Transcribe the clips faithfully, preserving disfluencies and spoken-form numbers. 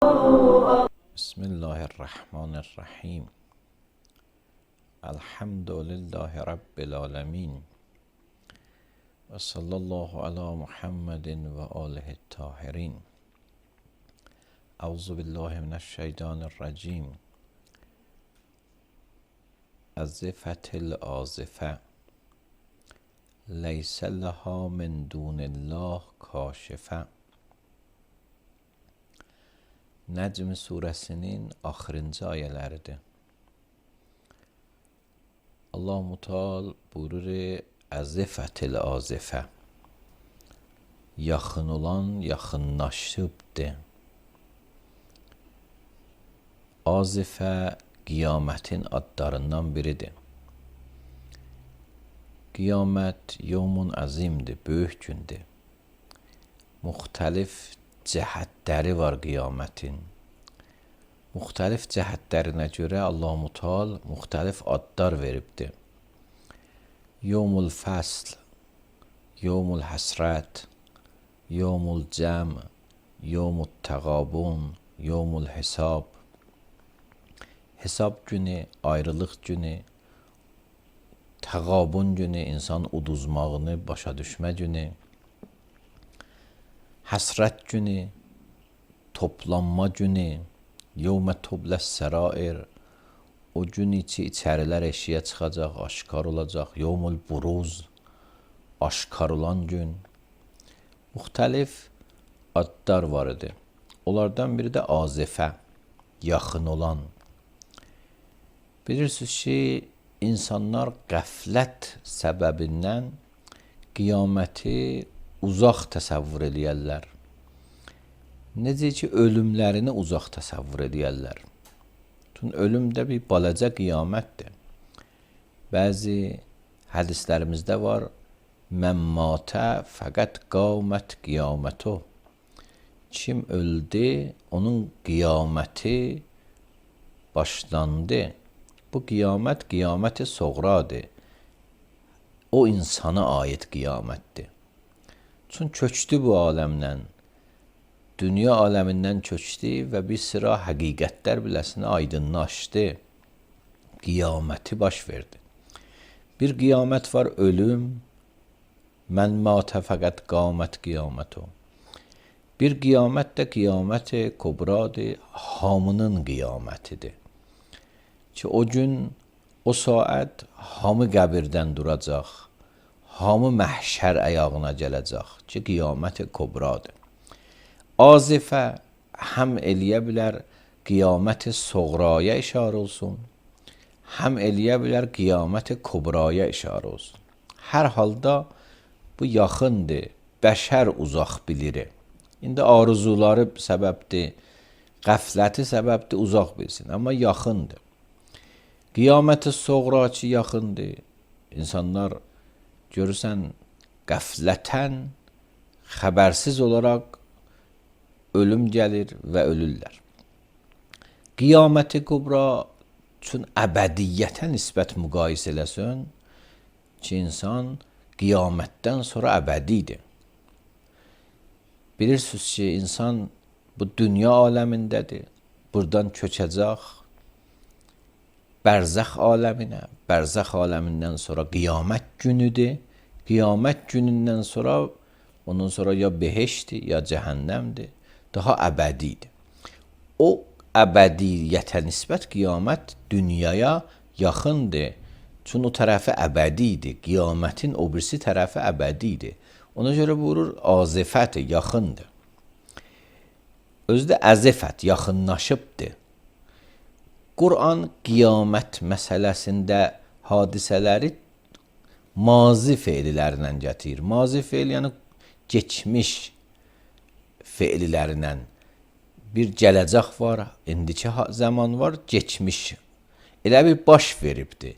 بسم الله الرحمن الرحیم. الحمد لله رب العالمین و صلی الله علی محمد و آله الطاهرین. اعوذ بالله من الشیطان الرجیم. ازفت الآزفه لیس لها من دون الله کاشفه. Nəcm surəsinin axırıncı ayələridir. Allah Mutal buyurur, əzifətil azifə, yaxın olan yaxınlaşıbdır. Azifə qiyamətin adlarından biridir. Qiyamət yevmun əzimdir, böyük gündür. Müxtəlif cəhətləri var qiyamətin. Müxtəlif cəhətlərinə görə Allah Mutal müxtəlif adlar veribdir. Yevmul fəsl, yevmul həsrət, yevmul cəm, yevmul təqabun, yevmul hesab. Hesab günü, ayrılıq günü, təqabun günü, insan uduzmağını başa düşmə günü, həsrət günü, toplanma günü, yevmə tubləs sərair, o gün içi içərilər eşiyə çıxacaq, aşkar olacaq, yevmul buruz, aşkar olan gün. Müxtəlif adlar var idi. Onlardan biri də azifə, yaxın olan. Bilirsiniz ki, insanlar qəflət səbəbindən qiyaməti uzaq təsəvvür edərlər. Necə ki, ölümlərini uzaq təsəvvür edərlər. Çünki ölüm də bir balaca qiyamətdir. Bəzi hədislərimizdə var, mən matə fəqət qamət qiyamətu. Kim öldü, onun qiyaməti başlandı. Bu qiyamət qiyaməti soğradır. O insana aid qiyamətdir. Çünki köçdü bu aləmdən, dünya aləmindən köçdü və bir sıra həqiqətlər biləsinə aydınlaşdı. Qiyaməti baş verdi. Bir qiyamət var, ölüm, mən matə fəqət qamət qiyamətu. Bir qiyamət də qiyamət-i kubradır, hamının qiyamətidir. Ki o gün, o saat hamı qəbirdən duracaq, hamı məhşər əyağına gələcək ki, qiyamət-i kubradır. Azifə həm eləyə bilər qiyamət-i soğraya işarə olsun, həm eləyə bilər qiyamət-i kubraya işarə olsun. Hər halda bu yaxındır, bəşər uzaq bilir. İndi arzuları səbəbdir, qəfləti səbəbdir, uzaq bilsin, amma yaxındır. Qiyamət-i soğra ki, yaxındır. İnsanlar görürsən, qəflətən, xəbərsiz olaraq ölüm gəlir və ölürlər. Qiyamət-i kubra üçün əbədiyyətə nisbət müqayisə eləsin ki, insan qiyamətdən sonra əbədidir. Bilirsiniz ki, insan bu dünya aləmindədir, buradan köçəcək bərzəx aləminə, bərzəx aləmindən sonra qiyamət günüdür. Qiyamət günündən sonra, ondan sonra ya behişdir, ya cəhənnəmdir, daha əbədidir. O əbədiyyətə nisbət qiyamət dünyaya yaxındır. Çünki o tərəfi əbədidir, qiyamətin o birisi tərəfi əbədidir. Ona görə buyurur, azifət yaxındır. Özü də əzifət, yaxınlaşıbdır. Quran qiyamət məsələsində hadisələri mazi feillərlə gətirir. Mazi feil, yəni keçmiş feillərlə. Bir gələcək var, indiki zaman var, geçmiş. Elə bir baş veribdir.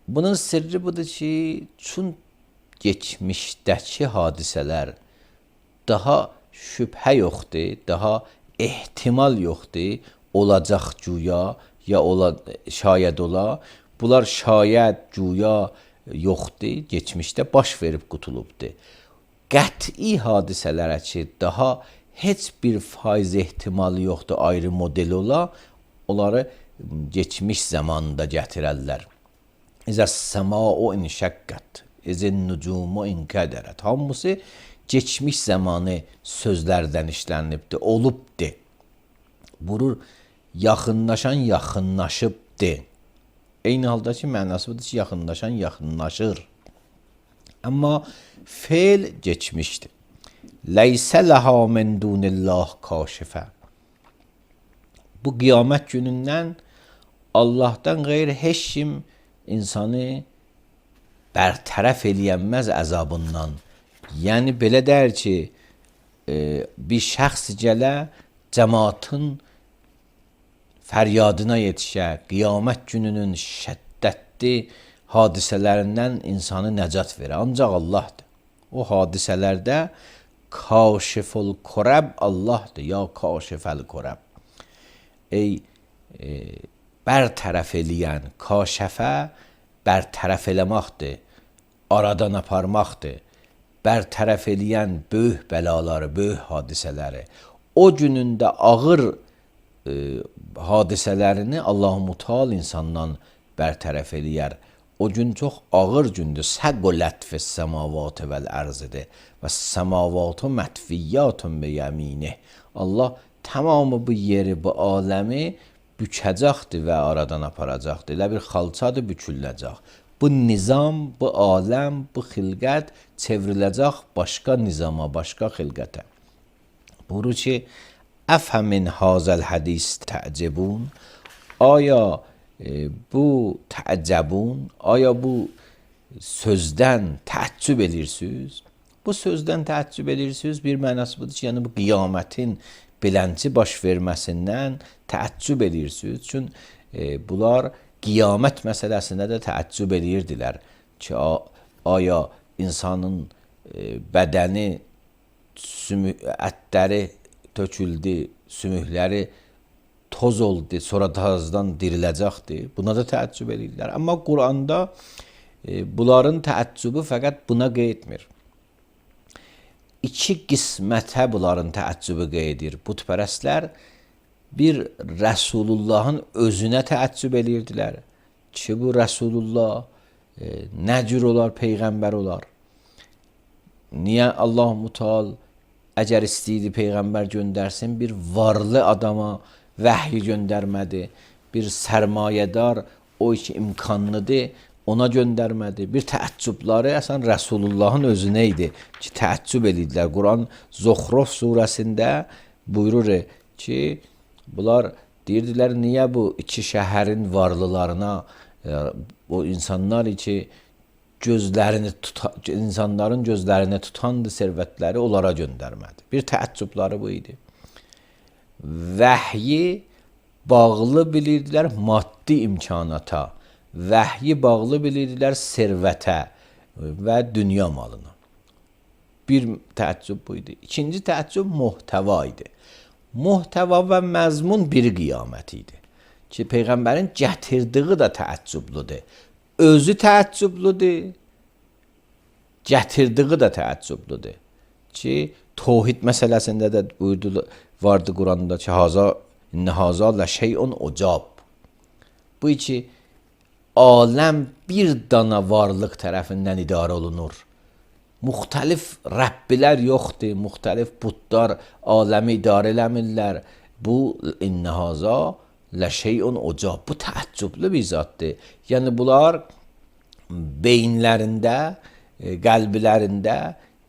Bunun sirri budur ki, çün geçmişdəki hadisələr daha şübhə yoxdur, daha ehtimal yoxdur, olacaq güya, ya ola, şayad ola. Bunlar şayad, güya yoxdur, geçmişdə baş verib qutulubdur. Qəti hadisələrə ki, daha heç bir faiz ehtimalı yoxdur ayrı model ola, onları geçmiş zamanında gətirərlər. İzə səma'u inşəqqət, izin nucumu inkədərət. Hamısı geçmiş zamanı sözlərdən işlənibdir, olubdir. Vurur, yaxınlaşan yaxınlaşıbdır. Eyni halda ki, mənası budur ki, yaxınlaşan yaxınlaşır. Amma feil geçmişdir. Leysə ləhə min dunillah kaşifə. Bu qiyamət günündən Allah'tan qeyri heç kim insanı bərtərəf eləyənməz əzabından. Yəni belə deyir ki, e, bir şəxs gələ cəmaatın fəryadına yetişə, qiyamət gününün şəddətli hadisələrindən insanı nəcat verə. Ancaq Allahdır. O hadisələrdə kaşiful kurəb Allahdır, ya kaşifəl kurəb. Ey e, bərtərəf eləyən, kaşəfə bərtərəf eləməkdir, aradan aparmaqdır. Bərtərəf eləyən böyük bəlaları, böyük hadisələri. O günün də ağır e, hadisələrini Allah-u Teala insandan bərtərəf eləyər. O gün çox ağır gündür. Səqulət fis səmavatı vəl ərzidir. Və səmavatu mətfiyyatun bi yəminih. Allah tamamı bu yeri, bu aləmi bükəcəkdir və aradan aparacaqdır. Elə bir xalçadır, büküləcək. Bu nizam, bu aləm, bu xilqət çevriləcək başqa nizama, başqa xilqətə. Buyurur ki, əfəmin hazəl hədis tə'cebun. Aya e, bu tə'cebun, aya bu sözdən təəccüb edirsiniz? Bu sözdən təəccüb edirsiniz, bir mənası budur ki, yəni bu qiyamətin bilənci baş verməsindən təəccüb edirsiniz. Çünki e, bunlar qiyamət məsələsində də təəccüb edirdilər ki, aya insanın e, bədəni, sümü, ətləri töküldü, sümükləri toz oldu, sonra tazdan diriləcəkdir. Buna da təəccüb edirlər. Amma Quranda e, bunların təəccübü fəqət buna qeydmir. İki qismətə bunların təəccübü qeydir. Butpərəstlər bir Rəsulullahın özünə təəccüb edirdilər ki, bu Rəsulullah e, nə cür olar, peyğəmbər olar? Niyə Allah-u Teala əgər istəyirdi peyğəmbər göndərsin, bir varlı adama vəhy göndərmədi, bir sərmayədar, o iki imkanlıdır, ona göndərmədi. Bir təəccübləri əsən Rəsulullahın özünə idi ki, təəccüb edirdilər. Quran Zuxruf surəsində buyurur ki, bunlar deyirdilər, niyə bu iki şəhərin varlılarına, o insanlar ki, gözlərini tuta, insanların gözlərini tutandı servətləri, onlara göndərmədi. Bir təəccübləri bu idi. Vəhyi bağlı bilirdilər maddi imkanata, vəhyi bağlı bilirdilər servətə və dünya malına. Bir təəccüb bu idi. İkinci təəccüb muhtəva idi. Muhtəva və məzmun bir qiyamət idi. Ki, Peyğəmbərin gətirdiyi də təəccüblüdür. Özü təəccüblüdür, gətirdiyi də təəccüblüdür. Ki, tohid məsələsində də buyurdu, vardı Quranda ki, haza, inə haza lə şeyun ucab. Bu ki, aləm bir dana varlıq tərəfindən idarə olunur. Müxtəlif Rəbbilər yoxdur, müxtəlif budlar aləmi idarə eləmirlər. Bu, inə haza lə şeyun ucab. Bu təəccüblü bir zatdır. Yəni, bunlar beyinlərində, qəlblərində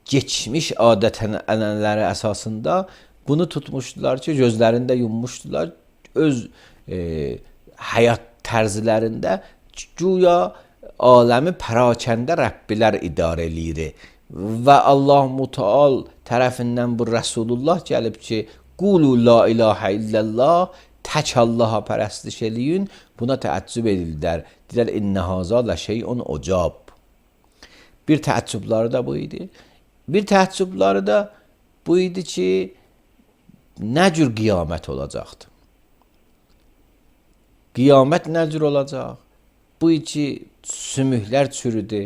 geçmiş adət-ənənələri əsasında bunu tutmuşdular ki, gözlərində yummuşdular. Öz e, həyat tərzlərində güya aləmi pərakəndə Rəbbilər idarə eləyir. Və Allah-u Teala tərəfindən bu Rəsulullah gəlib ki, qulu la ilahə illallah, tək Allaha pərəstiş eləyin, buna təəccüb edildilər. Deyirlər, innə haza lə şeyun ucab. Bir təəccübləri də bu idi. Bir təəccübləri də bu idi ki, nə cür qiyamət olacaqdır? Qiyamət nə cür olacaq? Bu iki sümüklər çürüdü.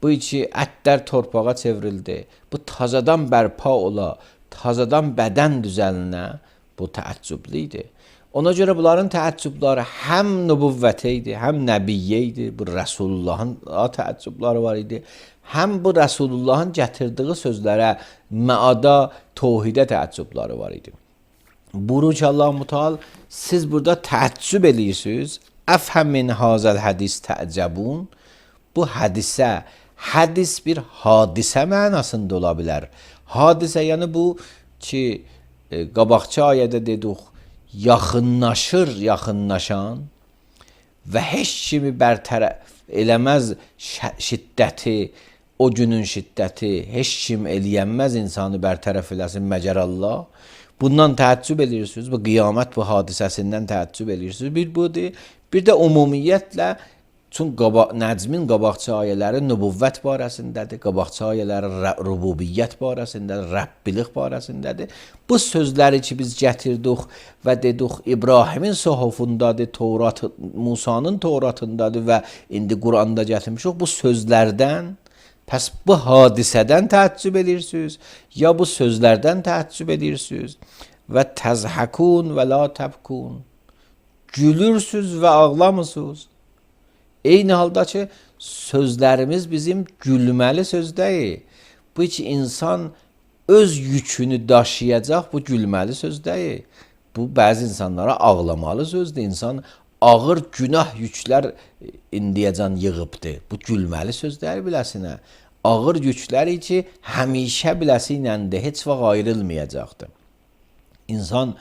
Bu iki ətlər torpağa çevrildi. Bu tazadan bərpa ola. tazadan bədən düzəlinə bu təəccüblü idi. Ona görə bunların təəccübləri həm nübüvvətə idi, həm nəbiyyə idi. Bu Rəsulullahın təəccübləri var idi. Həm bu Rəsulullahın gətirdiyi sözlərə, məada, təvhidə təəccübləri var idi. Buyurur ki, Allah Müteal, siz burada təəccüb edirsiniz. Əfhəm min hazəl hədis təəccəbun. Bu hədisə, hədis bir hadisə mənasında ola bilər. Hadisə, yəni bu ki, e, qabaqçı ayədə dedik, yaxınlaşır, yaxınlaşan və heç kimi bərtərəf eləməz şiddəti, o günün şiddəti, heç kim eləyənməz insanı bərtərəf eləsin məgər Allah. Bundan təəccüb edirsiniz, bu qiyamət bu hadisəsindən təəccüb edirsiniz. Bir budur, bir də ümumiyyətlə, çünki qaba, Nəcmin qabaqçı ayələri nübüvvət barəsindədir, qabaqçı ayələri rububiyyət barəsindədir, Rəbbilik barəsindədir. Bu sözləri ki, biz gətirdik və dedik, İbrahimin sohufundadır, Tevrat, Musanın Tevratındadır və indi Quranda gətirmişik. Bu sözlərdən, pəs bu hadisədən təəccüb edirsiniz, ya bu sözlərdən təəccüb edirsiniz və təzhəkun və la təbkun. Gülürsüz və ağlamısınız. Eyni halda ki, sözlərimiz bizim gülməli söz deyil. Bu ki, insan öz yükünü daşıyacaq, bu gülməli söz deyil. Bu, bəzi insanlara ağlamalı sözdür. İnsan ağır günah yüklər indiyəcən yığıbdır. Bu gülməli söz deyil biləsinə. Ağır yükləri ki, həmişə biləsi iləndir, heç vaxt ayrılmayacaqdır. İnsan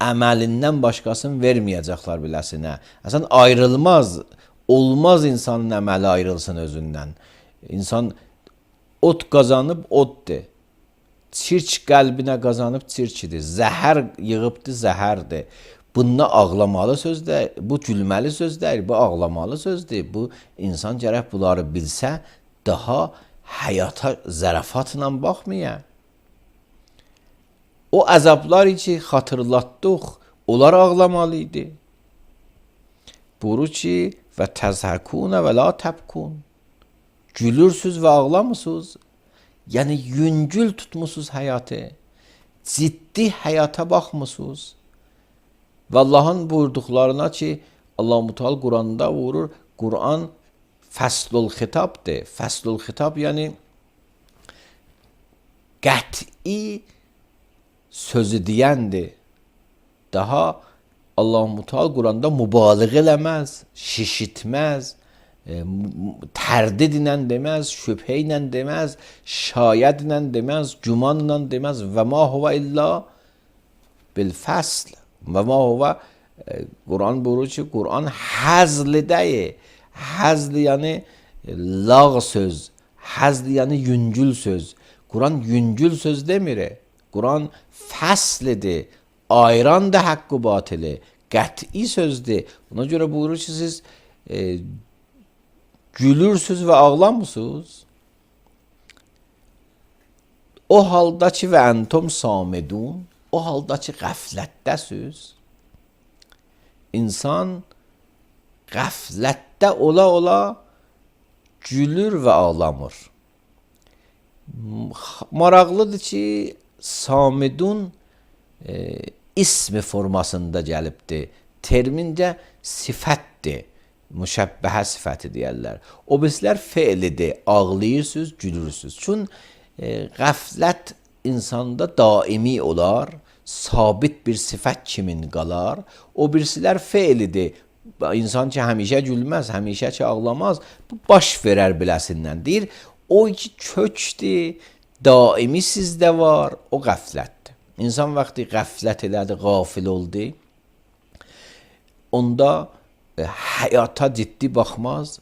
əməlindən başqasını verməyəcəklər biləsinə. Əsən ayrılmaz, olmaz insanın əməli ayrılsın özündən. İnsan ot qazanıb oddur. Çirk qəlbinə qazanıb çirkidir. Zəhər yığıbdır, zəhərdir. Bununla ağlamalı söz deyil, bu gülməli söz deyil, bu ağlamalı sözdür. Bu insan gərək bunları bilsə, daha həyata zərafatla baxmaya. O əzablar ki, xatırlatdıq, onlar ağlamalı idi. Buyurur ki, və təzhəkunə və la təbkun. Gülürsüz və ağlamısınız. Yəni, yüngül tutmusunuz həyatı. Ciddi həyata baxmısınız. Və Allahın buyurduqlarına ki, Allah-u Muteal Quranda vurur, Quran fəslul xitabdır. Fəslul xitab, yəni qəti sözü deyəndir. Daha Allah-u Muteal Quranda mübaliğ eləməz, şişitməz, e, tərdid ilə deməz, şübhə ilə deməz, şayət ilə deməz, güman ilə deməz. Və ma huvə illa bil fəsl. Və ma huvə, e, Quran buyurur ki, Quran həzli deyil. Həzli yəni lağ söz, həzli yəni yüngül söz. Quran yüngül söz demir. Quran fəslidir. Ayran da haqqı batili, qəti sözdür. Ona görə buyurur ki, siz e, gülürsüz və ağlamısınız. O halda ki, və əntum samidun, o halda ki, qəflətdəsiz. İnsan qəflətdə ola-ola gülür və ağlamır. Maraqlıdır ki, samidun e, ismi formasında gəlibdir. Termincə sifətdir. Müşəbbəhə sifəti deyərlər. O birislər feilidir. Ağlayırsınız, gülürsünüz. Çün e, qəflət insanda daimi olar. Sabit bir sifət kimin qalar. O birisilər feilidir. İnsan ki, həmişə gülməz, həmişə ki, ağlamaz. Bu, baş verər biləsindən deyir. O ki, kökdür, daimi sizdə var, o qəflətdir. İnsan vaxtı qəflət elədi, qafil oldu. Onda e, həyata ciddi baxmaz,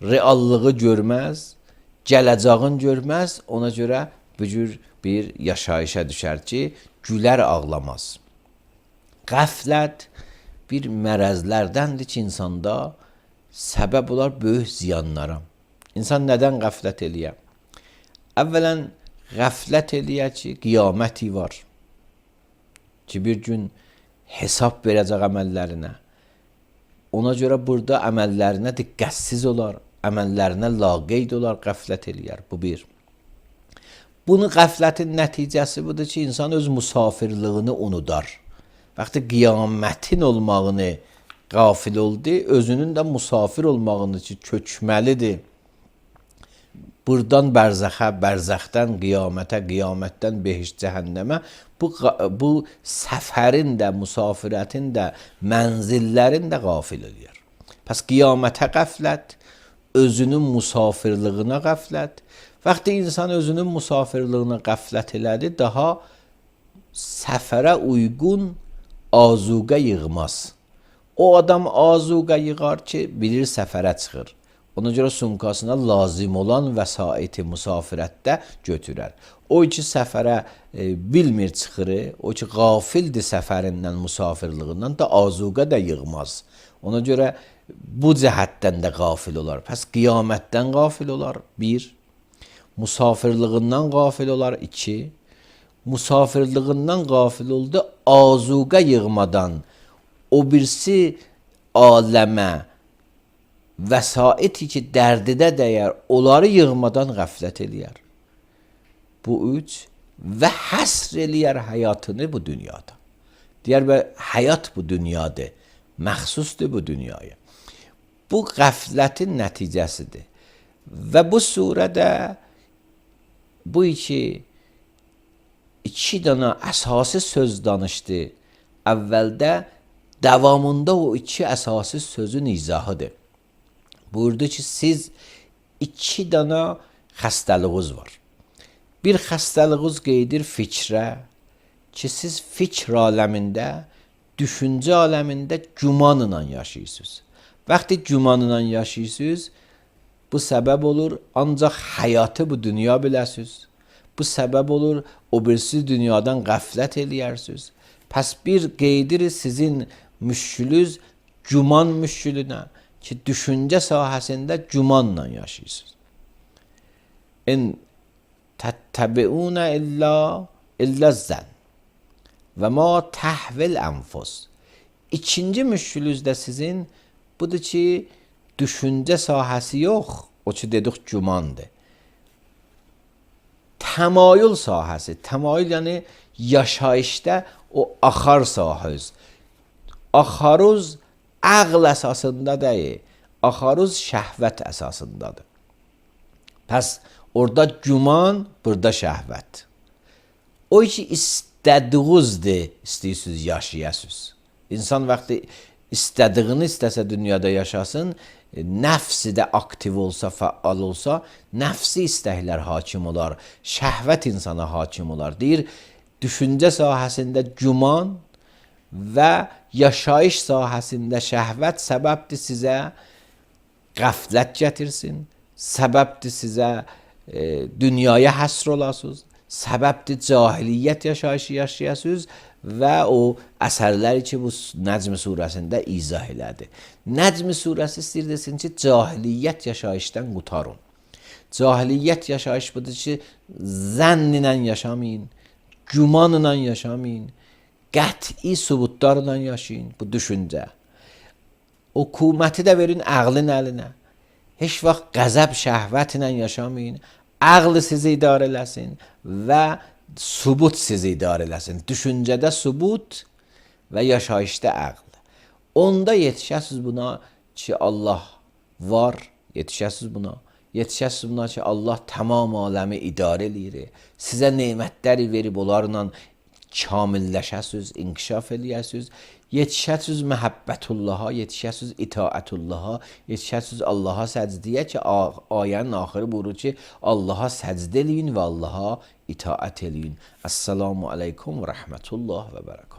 reallığı görməz, gələcağın görməz. Ona görə bu cür bir yaşayışa düşər ki, gülər ağlamaz. Qəflət bir mərəzlərdəndir ki, insanda səbəb olar böyük ziyanlara. İnsan nədən qəflət eləyər? Əvvələn, qəflət eləyər ki, qiyaməti var. Ki, bir gün hesab verəcək əməllərinə. Ona görə burada əməllərinə diqqətsiz olar, əməllərinə laqeyd olar, qəflət eləyər. Bu bir. Bunu qəflətin nəticəsi budur ki, insan öz musafirliyini unudar. Vaxtı qiyamətin olmağını qafil oldu, özünün də musafir olmağını ki, köçməlidir. Buradan bərzəxə, bərzəxdən qiyamətə, qiyamətdən behişt cəhənnəmə bu, bu səfərin də, musafirətin də, mənzillərin də qafil eləyər. Pəs qiyamətə qəflət, özünün musafirliyinə qəflət. Vaxtı insan özünün musafirliyinə qəflət elədi, daha səfərə uyğun azuqə yığmaz. O adam azuqə yığar ki, bilir səfərə çıxır. Ona görə sumkasına lazım olan vəsaiti musafirətdə götürər. O ki, səfərə e, bilmir çıxırı, o ki, qafildir səfərindən, musafirliğindən da azuqə də yığmaz. Ona görə bu cəhətdən də qafil olar. Pəs qiyamətdən qafil olar, bir. Musafirliğindən qafil olar, iki. Musafirliğindən qafil oldu, azuqə yığmadan o birisi aləmə, vəsaiti ki, dərdidə dəyər, onları yığmadan qəflət eləyər. Bu üç və həsr eləyər həyatını bu dünyada. Deyər və həyat bu dünyadır, məxsusdur bu dünyaya. Bu qəflətin nəticəsidir. Və bu surədə bu iki, iki dana əsası söz danışdı. Əvvəldə, davamında o iki əsası sözün izahıdır. Buyurdu ki, siz iki dana xəstəliğiniz var. Bir xəstəliğiniz qeydir fikrə ki, siz fikr aləmində, düşüncə aləmində gümanla yaşayırsınız. Vaxtı gümanla yaşayırsınız, bu səbəb olur, ancaq həyatı bu dünya biləsiniz. Bu səbəb olur, o birisi dünyadan qəflət eləyərsiniz. Pəs bir qeydir sizin müşkülünüz güman müşkülünə ki, düşüncə sahəsində gümanla yaşayırsınız. İn təttəbiunə illə illə zən və ma təhvil ənfus. İkinci müşkülünüz də sizin budur ki, düşüncə sahəsi yox, o ki, dedik gümandır. Təmayül sahəsi, təmayül yəni yaşayışda o axar sahəz. Axaruz ağl əsasında deyil, axaruz şəhvət əsasındadır. Pəs orada güman, burada şəhvət. O ki, istədiyinizdir, istəyirsiniz, yaşayasınız. İnsan vaxtı istədiyini istəsə dünyada yaşasın, nəfsi də aktiv olsa, fəal olsa, nəfsi istəklər hakim olar, şəhvət insana hakim olar. Deyir, düşüncə sahəsində güman və yaşayış sahəsində şəhvət səbəbdir sizə qəflət gətirsin, səbəbdir sizə e, dünyaya həsr olasınız, səbəbdir cahiliyyət yaşayışı yaşayasınız və o əsərləri ki, bu Nəcm surəsində izah elədi. Nəcm surəsi istəyir desin ki, cahiliyyət yaşayışdan qutarın. Cahiliyyət yaşayış budur ki, zənn ilə yaşamayın, gümanla yaşamayın, qəti subutlarla yaşayın, bu düşüncə. Hökuməti də verin ağlın əlinə. Heç vaxt qəzəb şəhvətlə yaşamayın, ağlı sizi idarə eləsin və subut sizi idarə eləsin. Düşüncədə subut və yaşayışda ağl. Onda yetişəsiz buna ki, Allah var, yetişəsiz buna. Yetişəsiz buna ki, Allah tamam aləmi idarə eləyir. Sizə nemətləri verib onlarla kamilləşəsiz, inkişaf eləyəsiz. Yetişəsiz məhəbbətullaha, yetişəsiz itaətullaha, yetişəsiz Allaha səcdiyə ki, ayənin axırı buyurur ki, Allaha səcd eləyin və Allaha itaət eləyin. Əssalamu aleykum və rəhmətullah və bərəkət.